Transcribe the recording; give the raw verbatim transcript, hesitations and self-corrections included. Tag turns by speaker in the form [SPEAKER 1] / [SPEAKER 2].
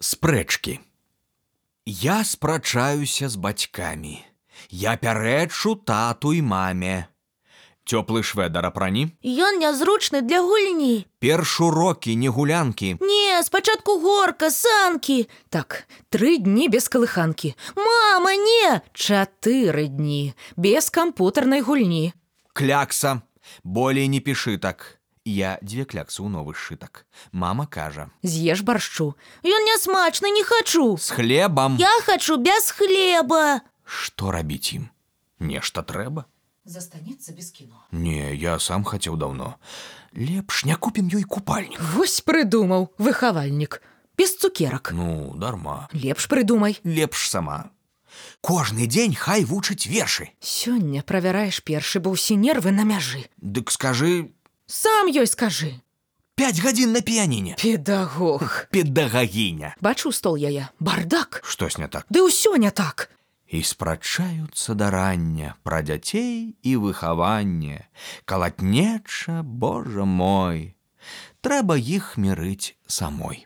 [SPEAKER 1] Спрэчкі. Я спрачаюся з бацькамі. Я пярэчу тату і маме. Цёплы шведар апрані.
[SPEAKER 2] Ён нязручны для гульні.
[SPEAKER 1] Перш урокі, не гулянкі.
[SPEAKER 2] Не, спачатку горка, санкі.
[SPEAKER 3] Так, тры дні без калыханкі.
[SPEAKER 2] Мама, не!
[SPEAKER 3] Чатыры дні без кампутарнай гульні.
[SPEAKER 1] Клякса. Болей не пішы так. Я дзве кляксы ў новы сшытак. Мама кажа.
[SPEAKER 3] З'еш баршчу.
[SPEAKER 2] Ён нясмачны, не хачу.
[SPEAKER 1] З хлебам.
[SPEAKER 2] Я хачу без хлеба.
[SPEAKER 1] Што рабіць ім? Нешта трэба?
[SPEAKER 3] Застанецца без кіно.
[SPEAKER 1] Не, я сам хацеў даўно. Лепш не купім ёй купальнік.
[SPEAKER 3] Вось прыдумаў, выхавальнік. Без цукерак.
[SPEAKER 1] Ну, дарма.
[SPEAKER 3] Лепш прыдумай.
[SPEAKER 1] Лепш сама. Кожны дзень хай вучыць вершы.
[SPEAKER 3] Сёння правяраеш першы, бо ўсе нервы на мяжы.
[SPEAKER 1] Дык скажы...
[SPEAKER 3] Сам ёй скажы.
[SPEAKER 1] Пяць гадзін на піяніне.
[SPEAKER 3] Педагог.
[SPEAKER 1] Педагагіня.
[SPEAKER 3] Бачу стол яе. Бардак.
[SPEAKER 1] Штось не так.
[SPEAKER 3] Ды ўсё не так.
[SPEAKER 1] І спрачаюцца да рання пра дзяцей і выхаванне. Калатнеча, Божа мой. Трэба іх мірыць самой.